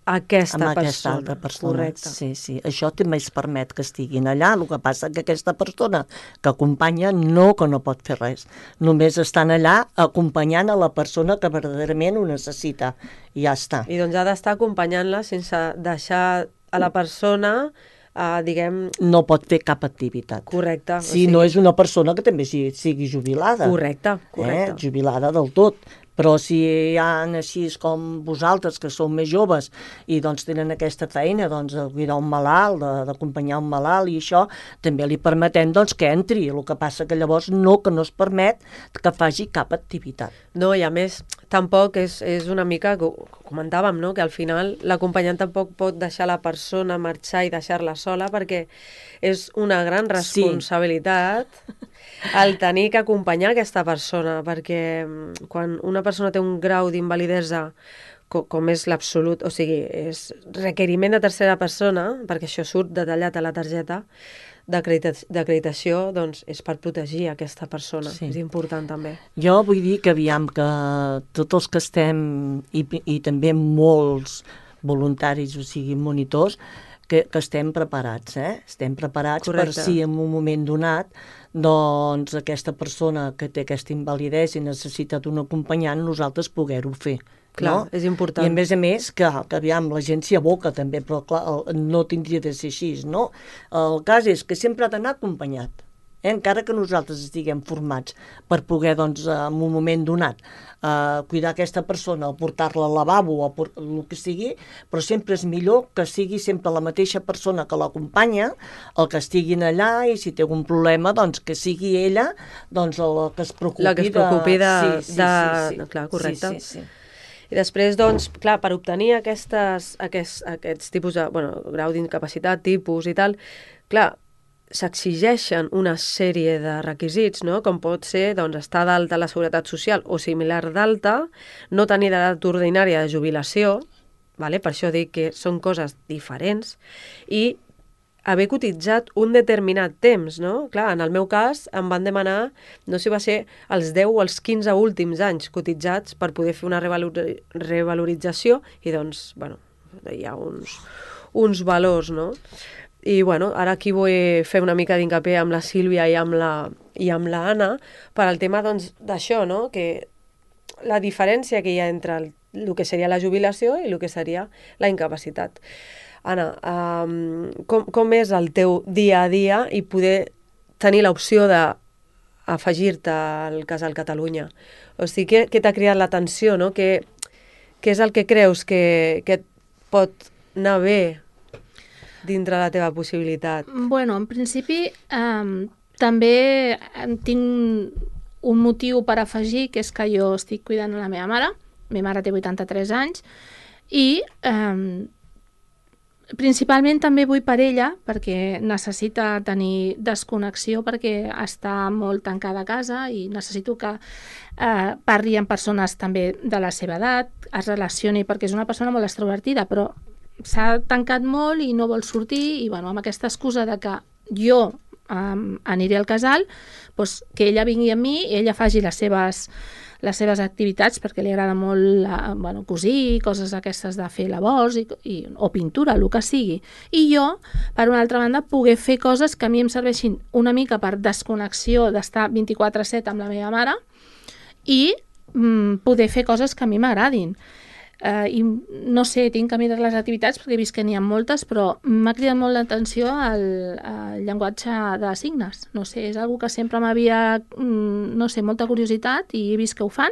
aquesta amb persona. aquesta altra persona. Correcte. Sí, sí. Això també es permet que estiguin allà, el que passa que aquesta persona que acompanya no que no pot fer res. Només estan allà acompanyant a la persona que verdaderament ho necessita. I ja està. I doncs ha d'estar acompanyant-la sense deixar a la persona, uh, diguem... No pot fer cap activitat. Correcte. Si o sigui... no és una persona que també sigui, sigui jubilada. Correcte, correcte. Eh? Jubilada del tot. Però si hi ha així com vosaltres, que sou més joves i doncs tenen aquesta feina doncs, de cuidar un malalt, d'acompanyar un malalt i això, també li permetem doncs, que entri. El que passa que llavors no, que no es permet que faci cap activitat. No, i a més, tampoc és, és una mica, que ho comentàvem, no? Que al final l'acompanyant tampoc pot deixar la persona marxar i deixar-la sola, perquè és una gran responsabilitat sí. el tenir que acompanyar aquesta persona, perquè quan una persona té un grau d'invalidesa com, com és l'absolut, o sigui, és requeriment de tercera persona, perquè això surt detallat a la targeta d'acreditació, doncs és per protegir aquesta persona. Sí. És important també. Jo vull dir que aviam que tots els que estem, i, i també molts voluntaris, o sigui, monitors, que, que estem preparats, eh? Estem preparats Correcte. Per si en un moment donat doncs aquesta persona que té aquesta invalidesa i necessita d'un acompanyant, nosaltres poder-ho fer. Clar, no? És important. I a més a més, que, que aviam, la gent s'hi aboca també, però clar, el, no tindria de ser així, no? El cas és que sempre ha d'anar acompanyat, eh? Encara que nosaltres estiguem formats per poder, doncs, en un moment donat, eh, cuidar aquesta persona, o portar-la al lavabo, o por el que sigui, però sempre és millor que sigui sempre la mateixa persona que l'acompanya, el que estiguin allà, i si té algun problema, doncs que sigui ella doncs, el que es preocupi de... La que es preocupi de... Sí, sí, de... sí, sí. Clar, correcte. Sí, sí, sí. I després, doncs, clar, per obtenir aquestes, aquests, aquests tipus de, bueno, grau d'incapacitat, tipus i tal, clar, s'exigeixen una sèrie de requisits, no? Com pot ser, doncs, estar d'alta a la Seguretat Social o similar d'alta, no tenir edat ordinària de jubilació, vale? Per això dic que són coses diferents, i haver cotitzat un determinat temps, no? Clar, en el meu cas em van demanar, no sé si va ser els deu o els quinze últims anys cotitzats per poder fer una revalor revalorització i doncs, bueno, hi ha uns, uns valors, no? I bueno, ara aquí vull fer una mica d'incapié amb la Sílvia i amb la, i amb la Anna per al tema doncs d'això, no? Que la diferència que hi ha entre el, el que seria la jubilació i el que seria la incapacitat. Anna, um, com, com és el teu dia a dia i poder tenir l'opció d'afegir-te al Casal Catalunya? O sigui, què, què t'ha cridat l'atenció, no? Què, què és el que creus que, que et pot anar bé dintre la teva possibilitat? Bueno, en principi um, també tinc un motiu per afegir, que és que jo estic cuidant la meva mare. La meva mare té vuitanta-tres anys i um, principalment també vull per ella, perquè necessita tenir desconnexió, perquè està molt tancada a casa i necessito que eh, parli amb persones també de la seva edat, es relacioni, perquè és una persona molt extrovertida, però s'ha tancat molt i no vol sortir, i bueno, amb aquesta excusa de que jo um, aniré al casal, doncs que ella vingui amb mi i ella faci les seves les seves activitats, perquè li agrada molt eh, bueno, cosir, coses aquestes de fer labors i, i, o pintura, el que sigui. I jo, per una altra banda, poder fer coses que a mi em serveixin una mica per desconnexió d'estar vint-i-quatre set amb la meva mare i mm, poder fer coses que a mi m'agradin. Uh, i no sé, tinc que mirar les activitats perquè he vist que n'hi ha moltes, però m'ha cridat molt l'atenció el, el llenguatge de signes. No sé, és una que sempre m'havia, mm, no sé, molta curiositat i he vist que ho fan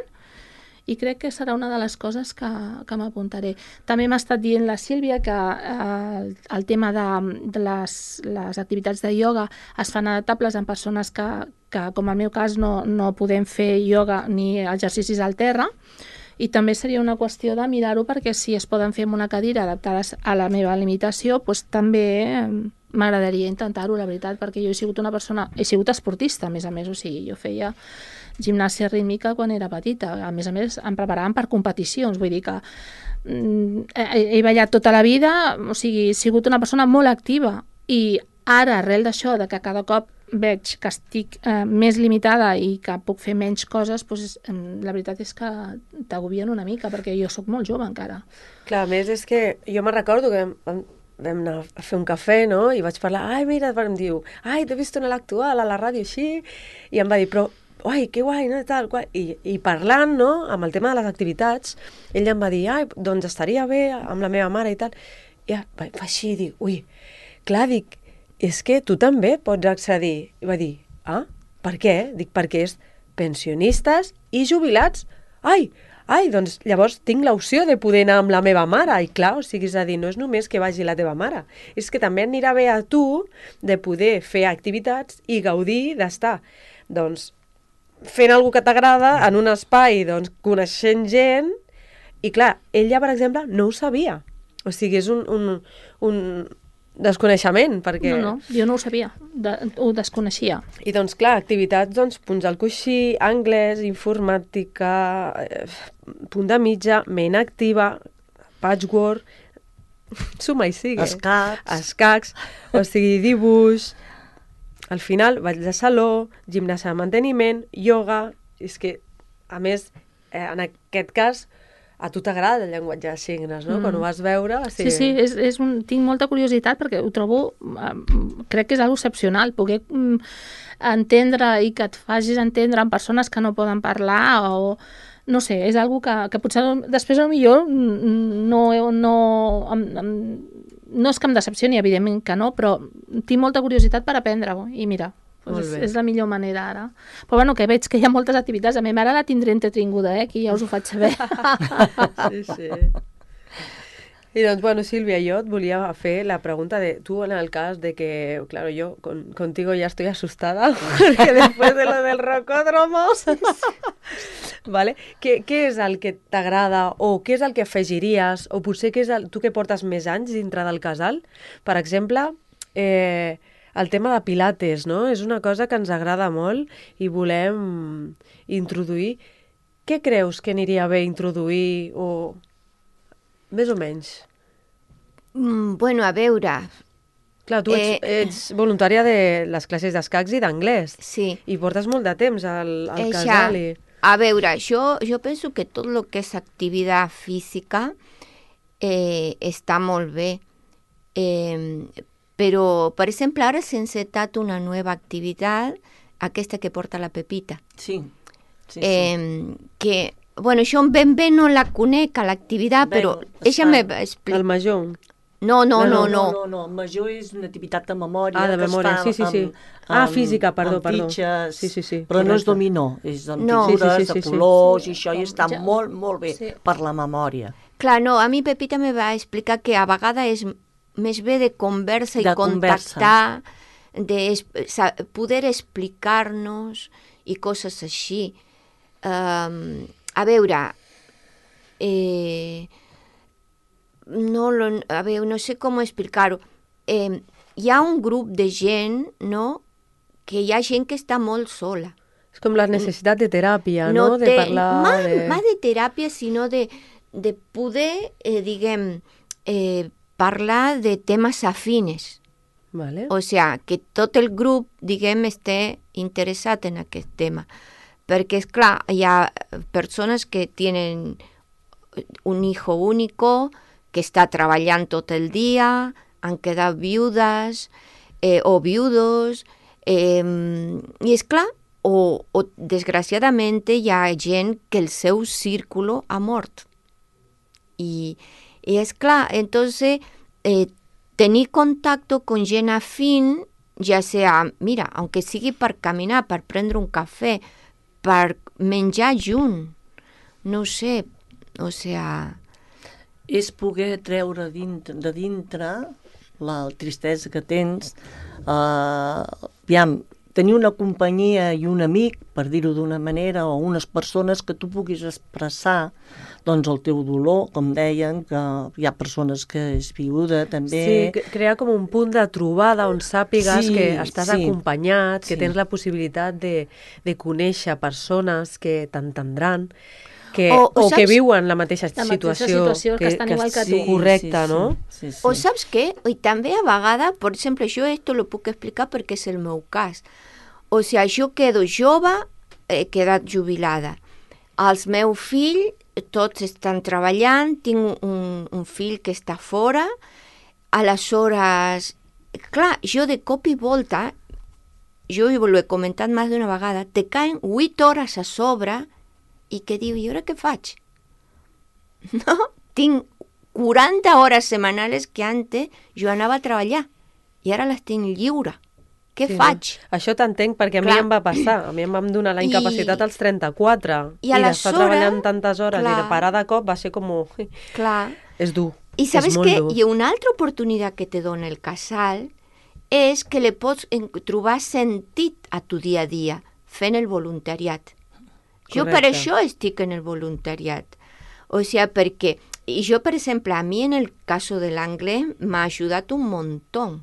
i crec que serà una de les coses que, que m'apuntaré. També m'ha estat dient la Sílvia que uh, el, el tema de, de les, les activitats de ioga es fan adaptables en persones que, que com en el meu cas, no, no podem fer ioga ni exercicis al terra, i també seria una qüestió de mirar-ho perquè si es poden fer amb una cadira adaptades a la meva limitació, doncs també m'agradaria intentar-ho, la veritat, perquè jo he sigut una persona, he sigut esportista, a més a més, o sigui, jo feia gimnàsia rítmica quan era petita, a més a més em preparaven per competicions, vull dir que mm, he, he ballat tota la vida, o sigui, he sigut una persona molt activa i ara, arrel d'això, de que cada cop veig que estic eh, més limitada i que puc fer menys coses, doncs, eh, la veritat és que t'agobien una mica, perquè jo sóc molt jove encara. Clar, a més és que jo me'n recordo que vam, vam anar a fer un cafè, no?, i vaig parlar, ai, mira, em diu, ai, t'he vist en l'actual, a la ràdio, així, i em va dir, però, ai, que guai, no?, tal, guai. I, i parlant, no?, amb el tema de les activitats, ell em va dir, ai, doncs estaria bé amb la meva mare i tal, i ja, va així, dic, ui, clar, dic, és que tu també pots accedir. I va dir, ah, per què? Dic, perquè és pensionistes i jubilats. Ai, ai, doncs llavors tinc l'opció de poder anar amb la meva mare. I clar, o sigui, és a dir, no és només que vagi la teva mare, és que també anirà bé a tu de poder fer activitats i gaudir d'estar, doncs, fent alguna que t'agrada en un espai, doncs, coneixent gent. I clar, ella, per exemple, no ho sabia. O sigui, és un, un, un desconeixement, perquè... No, no, jo no ho sabia, de, ho desconeixia. I doncs, clar, activitats, doncs, punts al coixí, anglès, informàtica, eh, punt de mitja, ment activa, patchwork, suma i sigue. Escacs. Escacs, o sigui, dibuix. Al final, ball de saló, gimnàsia de manteniment, ioga... És que, a més, eh, en aquest cas, a tu t'agrada el llenguatge de signes, no? Mm. Quan ho vas veure... O sigui... Sí, sí, és, és un, tinc molta curiositat perquè ho trobo, eh, crec que és algo excepcional, poder mm, entendre i que et facis entendre amb persones que no poden parlar o... No sé, és algo que, que potser després potser no, no, no, no és que em decepcioni, evidentment que no, però tinc molta curiositat per aprendre-ho i mira, doncs és, és la millor manera ara. Però bueno, que veig que hi ha moltes activitats, a mi ara la tindré entretinguda, eh? Aquí ja us ho faig saber. Sí, sí. I doncs, bueno, Sílvia, jo et volia fer la pregunta de tu en el cas de que, claro, yo con, contigo ya estoy asustada, porque después de lo del rocódromo, ¿vale? Què, què és el que t'agrada o què és el que afegiries o potser què és el, tu que portes més anys dintre del casal? Per exemple, eh, el tema de pilates, no? És una cosa que ens agrada molt i volem introduir. Què creus que aniria bé introduir o... Més o menys. Mm, bueno, a veure... Clar, tu ets, Eh, ets voluntària de les classes d'escacs i d'anglès. Sí. I portes molt de temps al, al Eixa, casal. I... A veure, jo, jo penso que tot el que és activitat física eh, està molt bé. Eh, però, per exemple, ara s'ha encetat una nova activitat, aquesta que porta la Pepita. Sí, sí, sí. Eh, que... Bueno, jo ben bé no la conec a l'activitat, però ella me va explicar... El major. No, no, No, no, No, no. no, no, el major és una activitat de memòria. Ah, de que memòria, es fa sí, sí, sí. Amb, Ah, amb- física, perdó, amb perdó. fitxes, Sí, sí, sí, però no és correcte. dominó, és amb No. figures, Sí, sí, sí, de sí. colors, Sí, i això, i com està ja- molt, molt bé sí. per la memòria. Clar, no, a mi Pepita me va explicar que a vegades és més bé de conversa i De contactar, de es, sa, poder explicar-nos i coses així. Um, a veure, eh, no, lo, a veure, no sé com explicar-ho. Eh, hi ha un grup de gent, no?, que hi ha gent que està molt sola. És com la necessitat de teràpia, no? De té, parlar... Más, de... más de teràpia, sinó de, de poder, eh, diguem, eh, parlar de temes afines. Vale. O sea, que tot el grup, diguem, esté interessat en aquest tema. Perquè, és clar, hi ha persones que tenen un hijo único, que està treballant tot el dia, han quedat viudes eh, o viudos, eh, i és clar, o, o desgraciadament hi ha gent que el seu círculo ha mort. I, i és clar, entonces, eh, tenir contacte con gent afín, ja sea, mira, aunque sigui per caminar, per prendre un cafè, per menjar junt, no ho sé, o sea... És poder treure dintre, de dintre la tristesa que tens, eh, aviam, tenir una companyia i un amic, per dir-ho d'una manera, o unes persones que tu puguis expressar doncs, el teu dolor, com deien, que hi ha persones que és viuda també. Sí, cre- crear com un punt de trobada on sàpigues Sí, que estàs sí. acompanyat, que Sí. tens la possibilitat de, de conèixer persones que t'entendran, que, O- o, o que saps- viuen la mateixa La mateixa situació. situació, que estan igual que tu. sí, correcte, sí, no? Sí, sí. O saps què? I també a vegades, per exemple, jo esto lo puc explicar perquè és el meu cas. O sigui, jo quedo jove, he quedat jubilada. Els meus fills, tots estan treballant, tinc un, un fill que està fora, aleshores, clar, jo de cop i volta, jo ho he comentat més d'una vegada, te caen vuit hores a sobre i que diu, i ara què faig? No? Tinc quaranta hores setmanals que antes jo anava a treballar i ara les tinc lliure. què Sí, faig? no? Això t'entenc perquè a Clar. mi em va passar. A mi em vam donar la I- incapacitat als trenta-quatre. I I, aleshores, d'estar treballant tantes hores i clar. de parar de cop va ser com... Clar. És dur. I sabes és molt què? dur. I una altra oportunitat que te dona el casal és que li pots en- trobar sentit a tu dia a dia fent el voluntariat. Jo per Correcte. això estic en el voluntariat. O sigui, perquè... I jo, per exemple, a mi en el cas de l'anglès m'ha ajudat un muntó,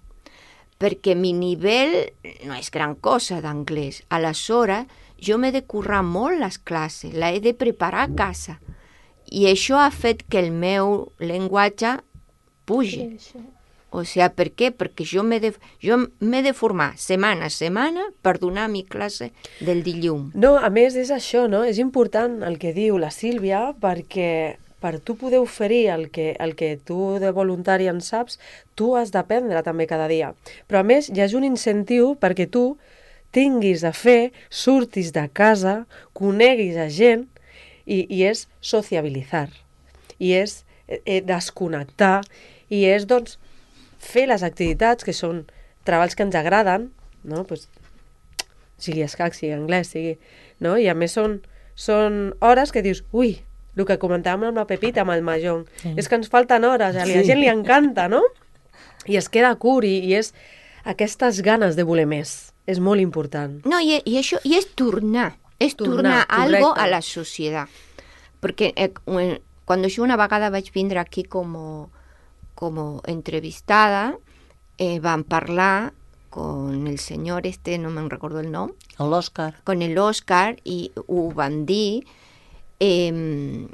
perquè mi nivell no és gran cosa d'anglès. Aleshores, jo m'he de currar molt les classes, la he de preparar a casa. I això ha fet que el meu llenguatge pugi. O sigui, per què? Perquè jo m'he de, jo m'he de formar setmana a setmana per donar mi classe del dilluns. No, a més és això, no? És important el que diu la Sílvia perquè per tu poder oferir el que, el que tu de voluntari en saps, tu has d'aprendre també cada dia. Però a més hi ha un incentiu perquè tu tinguis a fer, surtis de casa, coneguis a gent i, i és sociabilitzar, i és eh, desconnectar, i és doncs fer les activitats que són treballs que ens agraden, no? Pues, sigui escac, sigui anglès, sigui... No? I a més són, són hores que dius, ui, el que comentàvem amb la Pepita, amb el Mahjong, sí. és que ens falten hores, a la Sí. gent li encanta, no? I es queda curt i, i és aquestes ganes de voler més. És molt important. No, i, i això i és tornar, és Tornar, tornar, algo correcte. a la societat. Perquè eh, quan jo una vegada vaig vindre aquí com, com entrevistada, eh, vam parlar con el senyor este, no me'n recordo el nom, L'Òscar. con el Oscar, i ho van dir. Eh,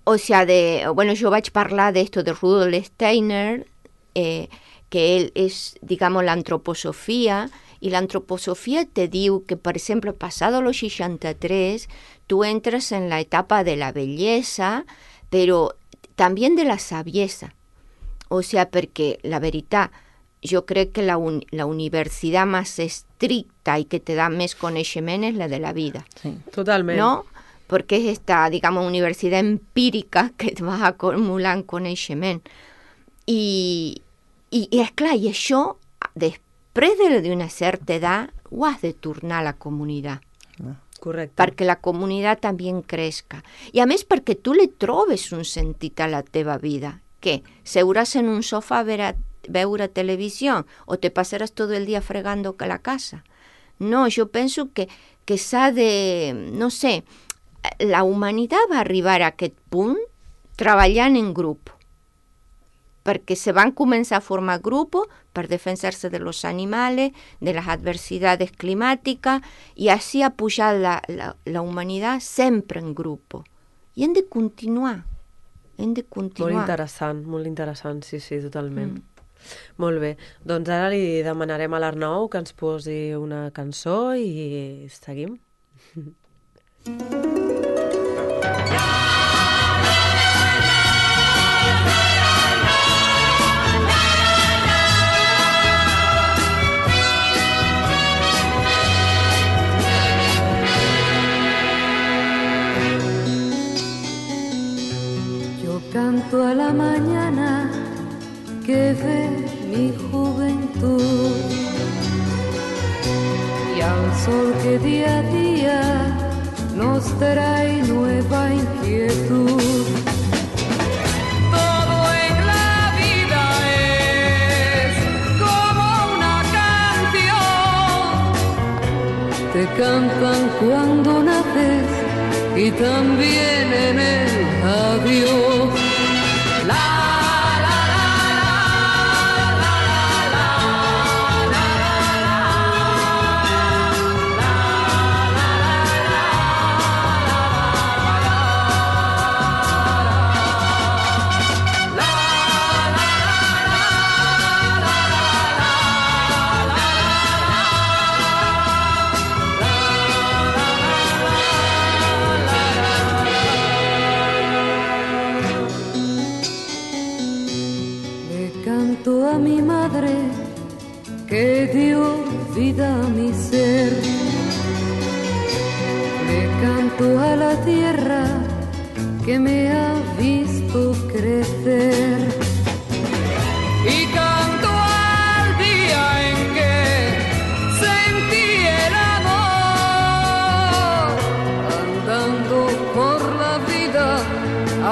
o sea, de, bueno, yo vaig parlar de esto de Rudolf Steiner, eh, que él es, digamos, la antroposofía, y la antroposofía te diu que, por ejemplo, pasado los seixanta-tres, tú entras en la etapa de la belleza, pero también de la saviesa. O sea, porque la veritat, jo crec que la, un, la universitat més estricta i que te da més coneixement és la de la vida. Sí. Totalment. ¿No? Porque es esta, digamos, universidad empírica que et va acumulant coneixement. I, i, i esclar, i això, després d'una certa edat, ho has de tornar a la comunitat, Correcte. perquè la comunitat també crezca. I a més perquè tu li trobes un sentit a la teva vida. Què? Seuràs en un sofà a veure, veure televisió o te passaràs tot el dia fregando la casa? No, jo penso que, que s'ha de, no sé, la humanitat va arribar a aquest punt treballant en grup, perquè se van començar a formar grupos per defensar-se de los animales, de las adversidades climáticas, i així ha pujat la, la, la humanitat sempre en grupo. I hem de continuar, hem de continuar. Molt interessant, molt interessant, sí, sí, totalment. Mm. Molt bé, doncs ara li demanarem a l'Arnau que ens posi una cançó i seguim. Yo canto a la mañana que ve mi juventud y al sol que día a día nos trae nueva inquietud. Todo en la vida es como una canción. Te cantan cuando naces y también en el adiós. La a mi madre que dio vida a mi ser. Le canto a la tierra que me ha visto crecer. Y canto al día en que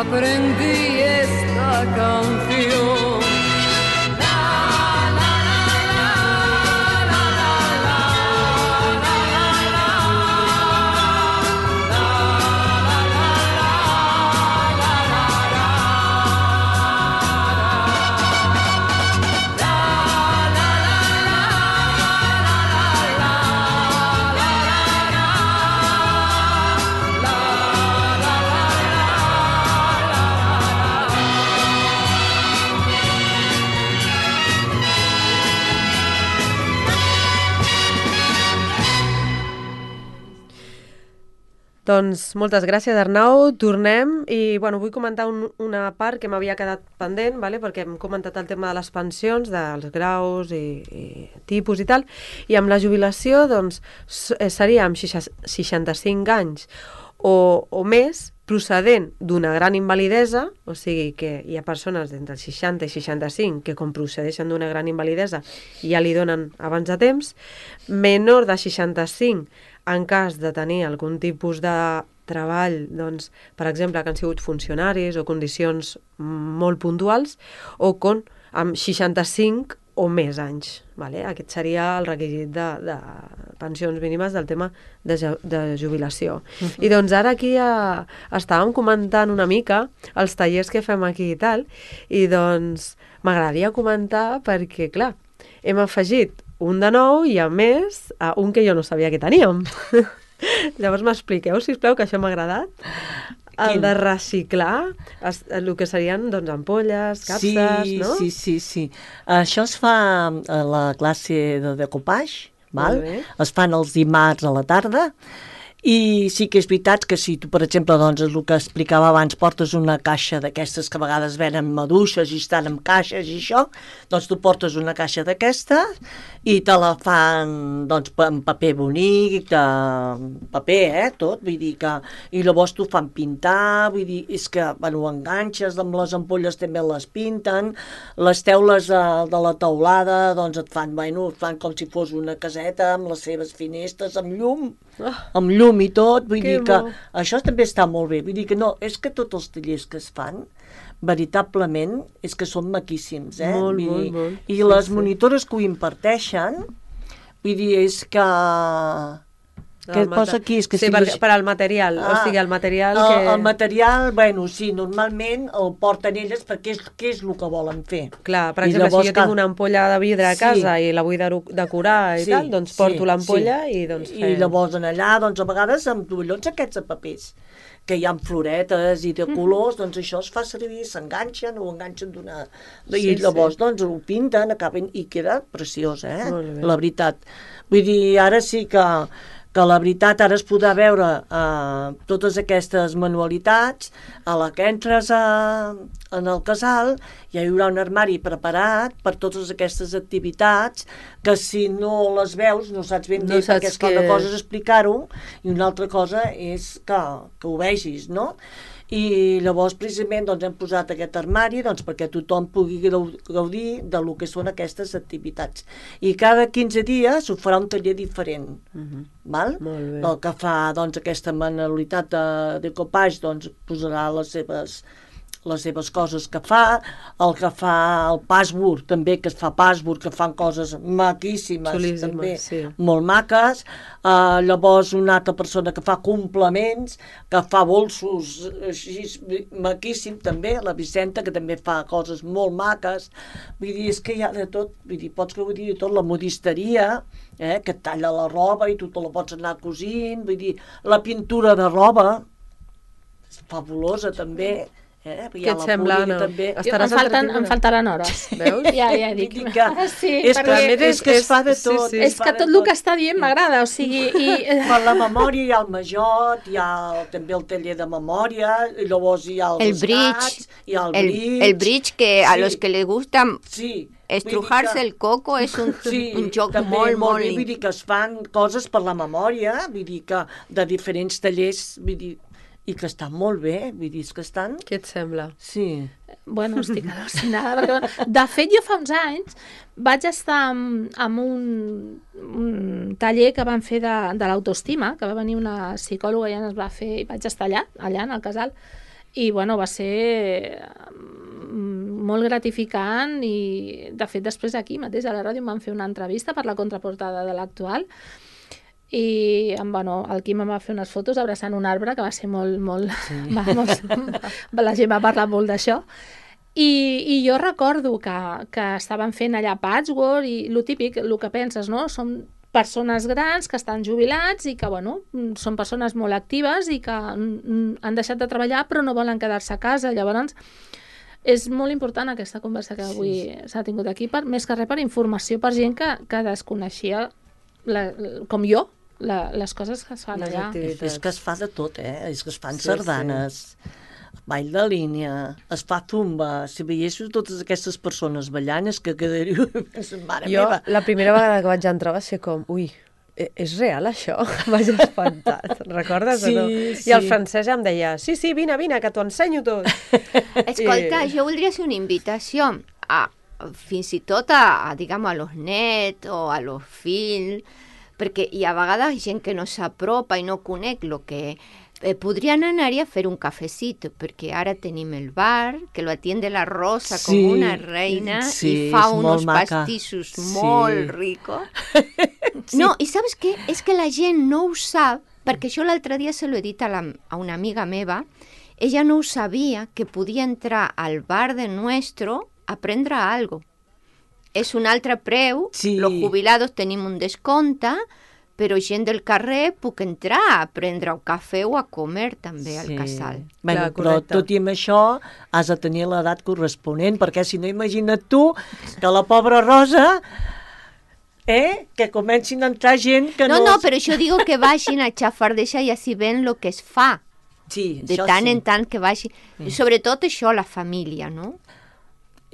aprendí esta canción. Doncs moltes gràcies, Arnau. Tornem i bueno, vull comentar un, una part que m'havia quedat pendent, vale? Perquè hem comentat el tema de les pensions, dels graus i, i tipus i tal, i amb la jubilació doncs, seria amb seixanta-cinc anys o, o més, procedent d'una gran invalidesa, o sigui que hi ha persones d'entre els seixanta i seixanta-cinc que com procedeixen d'una gran invalidesa ja li donen abans de temps, menor de seixanta-cinc en cas de tenir algun tipus de treball, doncs, per exemple, que han sigut funcionaris o condicions molt puntuals, o con, amb seixanta-cinc o més anys. Vale? Aquest seria el requisit de, de pensions mínimes del tema de, de jubilació. Uh-huh. I doncs ara aquí ja estàvem comentant una mica els tallers que fem aquí i tal, i doncs m'agradaria comentar perquè, clar, hem afegit un de nou i, a més, un que jo no sabia que teníem. Llavors m'expliqueu, sisplau, que això m'ha agradat. El Quin? de reciclar es, el que serien doncs, ampolles, capses, sí, no? Sí, sí, sí. Això es fa a la classe de decopage, val? Es fan els dimarts a la tarda. I sí que és veritat que si tu, per exemple, doncs, és el que explicava abans, portes una caixa d'aquestes que a vegades venen maduixes i estan en caixes i això, doncs tu portes una caixa d'aquesta i te la fan doncs, en paper bonic, de paper, eh, tot, vull dir que... I llavors t'ho fan pintar, vull dir, és que, bueno, ho enganxes, amb les ampolles també les pinten, les teules de, de la teulada, doncs et fan, bueno, et fan com si fos una caseta amb les seves finestres, amb llum, oh. amb llum i tot, vull que dir que bo. Això també està molt bé, vull dir que no, és que tots els tallers que es fan, veritablement, és que són maquíssims, eh? Molt, vull molt, dir, molt. I sí, les sí. monitores que ho imparteixen, vull dir, és que... Què et posa aquí? És que sí, si per, les... per al material, ah, o sigui, el material el, que... El material, bueno, sí, normalment el porten elles perquè és, què és el que volen fer. Clar, per I exemple, si jo que... tinc una ampolla de vidre a casa sí. i la vull decorar i sí, tal, doncs porto sí, l'ampolla sí. i doncs fem... I llavors en allà, doncs a vegades amb tovallons aquests de papers, que hi ha floretes i de colors, doncs això es fa servir, s'enganxen o enganxen d'una... I Sí, llavors sí. doncs ho pinten, acaben i queda preciós, eh? Molt bé. La veritat. Vull dir, ara sí que... que la veritat ara es podrà veure eh, totes aquestes manualitats, a la que entres a, en el casal ja hi haurà un armari preparat per totes aquestes activitats que si no les veus no saps ben bé, No saps perquè és que que- una cosa és explicar-ho i una altra cosa és que, que ho vegis, no? I llavors precisament doncs, hem posat aquest armari doncs, perquè tothom pugui gau- gaudir de lo que són aquestes activitats. I cada quinze dies ho farà un taller diferent. Mhm. Val? Molt bé. El que fa doncs, aquesta manualitat de, de copage doncs, posarà les seves, les seves coses que fa, el que fa el password també, que es fa password, que fan coses maquíssimes, Xulíssimes, també, sí. molt maques. Uh, llavors una altra persona que fa complements, que fa bolsos així, maquíssim també, la Vicenta, que també fa coses molt maques. Vull dir, és que hi ha de tot, vull dir, pots gaudir de tot, la modisteria, eh, que et talla la roba i tu te la pots anar cosint, vull dir, la pintura de roba, és fabulosa també. Eh? Què et sembla, Anna? També. Jo, em, Estaràs falten, entretinguda. em faltaran hores. Veus? Ja, ja dic. Vull dir que Sí, és, perquè que, és que es fa de és- sí, tot. sí. és es fa que de tot el que està dient m'agrada, o sigui... I, Per la memòria hi ha el majot, hi ha el, també el taller de memòria, i llavors hi ha els El bridge. escats, hi ha el El, bridge. el bridge que a Sí. los que les gusta Sí. estrujarse Vull dir el coco és un, Sí, un joc també molt, molt bé, vull lindo. dir que es fan coses per la memòria, vull dir que de diferents tallers, vull dir, i que estan molt bé, vull dir, és que estan... Què et sembla? Sí. Bueno, estic al·lucinada, perquè, de fet, jo fa uns anys vaig estar amb, amb un, un taller que van fer de, de l'autoestima, que va venir una psicòloga i ens va fer, i vaig estar allà, allà en el casal, i bueno, va ser molt gratificant i de fet després aquí mateix a la ràdio em van fer una entrevista per la contraportada de l'actual i bueno, el Quim em va fer unes fotos abraçant un arbre que va ser molt, molt... Sí. Va, molt la gent va parlar molt d'això. I, I jo recordo que, que estaven fent allà patchwork i el típic, el que penses, no? Són persones grans que estan jubilats i que, bueno, són persones molt actives i que han deixat de treballar però no volen quedar-se a casa. Llavors, és molt important aquesta conversa que avui sí, sí. s'ha tingut aquí, per, més que res per informació, per gent que, que desconeixia, la, com jo, la, les coses que es fan les allà. activitats. És que es fa de tot, eh? És que es fan Sí, sardanes, ball de línia, es fa zumba. Si veiéssiu totes aquestes persones ballant, és que quedaríeu... Mare Jo, meva. la primera vegada que vaig entrar va ser com, ui, e- és real això? Vaig espantat. Recordes Sí, o no? sí. I el francès em deia, sí, sí, vine, vine, que t'ho ensenyo tot. Escolta, I- jo voldria fer una invitació a, fins i tot a, a diguem, a los nets o a los fills, perquè hi ha a vegades gent que no s'apropa i no conec el que... Eh, podrien anar-hi a fer un cafecito, perquè ara tenim el bar, que lo atiende la Rosa Sí, com una reina sí, i fa és molt unos maca. pastissos Sí. molt ricos. Sí. No, i saps què? És que la gent no ho sap, perquè jo l'altre dia se l'he dit a, la, a una amiga meva, ella no ho sabia, que podia entrar al bar de Nuestro a prendre algo. És un altre preu, Sí. los jubilados tenim un descompte, però gent del carrer puc entrar a prendre un cafè o a comer també al casal. Bueno, Clar, però correcte. tot i amb això has de tenir l'edat corresponent, perquè si no, imagina't tu que la pobra Rosa, eh, que comencin a entrar gent que No, no... no, però jo digo que vagin a xafardejar i així ven el que es fa. Sí, De això tant sí. en tant que vagi... Sobretot això, la família, no?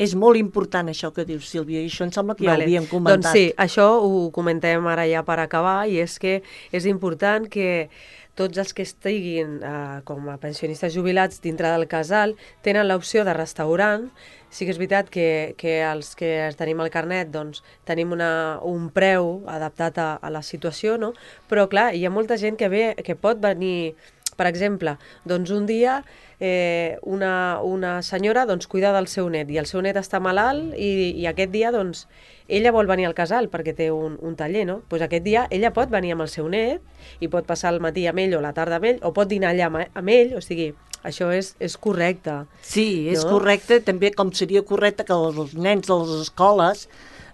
És molt important això que dius, Sílvia, i això em sembla que ja Vale. ho havíem comentat. Doncs sí, això ho comentem ara ja per acabar, i és que és important que tots els que estiguin eh, com a pensionistes jubilats dintre del casal tenen l'opció de restaurant. Sí que és veritat que, que els que tenim el carnet doncs, tenim una, un preu adaptat a, a la situació, no? Però clar, hi ha molta gent que, ve, que pot venir, per exemple, doncs un dia eh, una, una senyora doncs, cuida del seu net i el seu net està malalt i, i aquest dia doncs, ella vol venir al casal perquè té un, un taller, no? Pues aquest dia ella pot venir amb el seu net i pot passar el matí amb ell o la tarda amb ell o pot dinar allà amb, amb ell, o sigui, això és, és correcte. Sí, és No? correcte, també com seria correcte que els nens de les escoles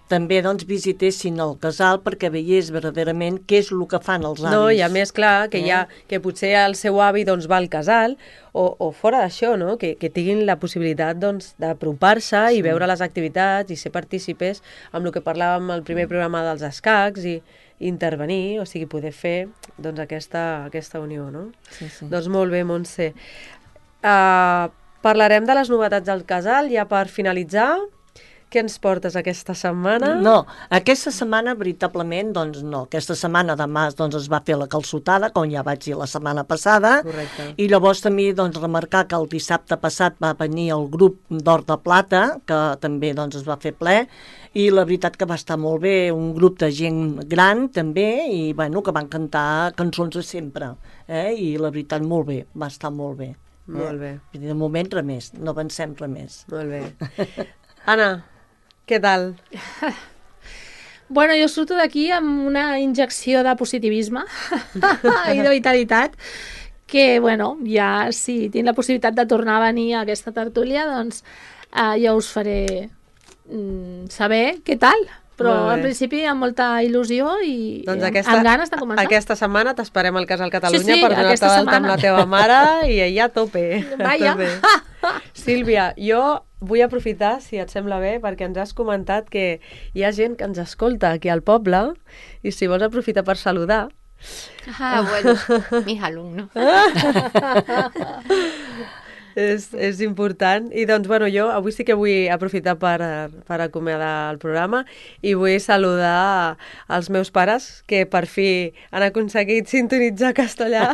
també doncs, visitessin el casal perquè veiés verdaderament què és el que fan els avis. No, i a més, clar, que, Eh? hi ha, que potser el seu avi doncs, va al casal, o, o fora d'això, no? que, que tinguin la possibilitat doncs, d'apropar-se i veure les activitats i ser partícipes amb el que parlàvem al primer programa dels escacs i intervenir, o sigui, poder fer doncs, aquesta, aquesta unió. No? Sí, sí. Doncs molt bé, Montse. Uh, parlarem de les novetats del casal ja per finalitzar. Què ens portes aquesta setmana? No, aquesta setmana veritablement, doncs no. Aquesta setmana demà doncs, es va fer la calçotada, com ja vaig dir la setmana passada. Correcte. I llavors també doncs, remarcar que el dissabte passat va venir el grup d'Or de Plata, que també doncs, es va fer ple, i la veritat que va estar molt bé, un grup de gent gran també, i bueno, que van cantar cançons de sempre. Eh? I la veritat molt bé, va estar molt bé. Molt bé. Eh? De moment res més, no avancem res més. Molt bé. Anna, què tal? Bueno, jo surto d'aquí amb una injecció de positivisme i de vitalitat que, bueno, ja si tinc la possibilitat de tornar a venir a aquesta tertúlia, doncs eh, ja us faré mm, saber què tal. Però Molt bé. en principi amb molta il·lusió i Doncs amb- aquesta, amb ganes de començar. aquesta setmana t'esperem al Casal Catalunya Sí, sí, per donar-te aquesta d'alta amb setmana. la teva mare i ella a tope. Vaja. A tope. Sílvia, jo vull aprofitar, si et sembla bé, perquè ens has comentat que hi ha gent que ens escolta aquí al poble i si vols aprofitar per saludar. Ah, bueno, mis alumnos. És, és important. I doncs, bueno, jo avui sí que vull aprofitar per, per acomiadar el programa i vull saludar els meus pares, que per fi han aconseguit sintonitzar castellà.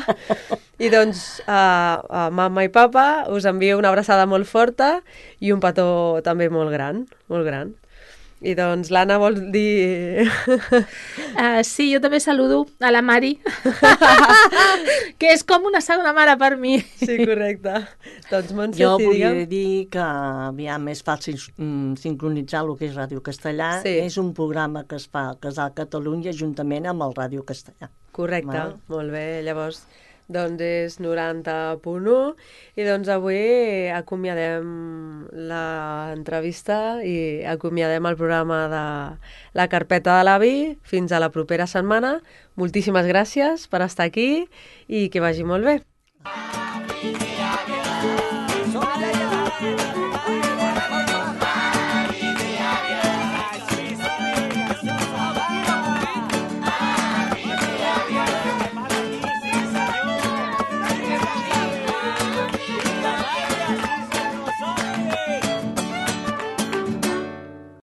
I doncs, a, a mama i papa us envio una abraçada molt forta i un petó també molt gran, molt gran. I doncs l'Anna vol dir... Uh, sí, jo també saludo a la Mari, que és com una segona mare per mi. Sí, correcte. Doncs, Montse, Jo sí, volia digue'm. dir que aviam, és fàcil mm, sincronitzar el que és Ràdio Castellà. Sí. És un programa que es fa al Casal Catalunya juntament amb el Ràdio Castellà. Correcte, Val. molt bé. Llavors, doncs és noranta punt u i doncs avui acomiadem l'entrevista i acomiadem el programa de La Carpeta de l'Avi. Fins a la propera setmana. Moltíssimes gràcies per estar aquí i que vagi molt bé.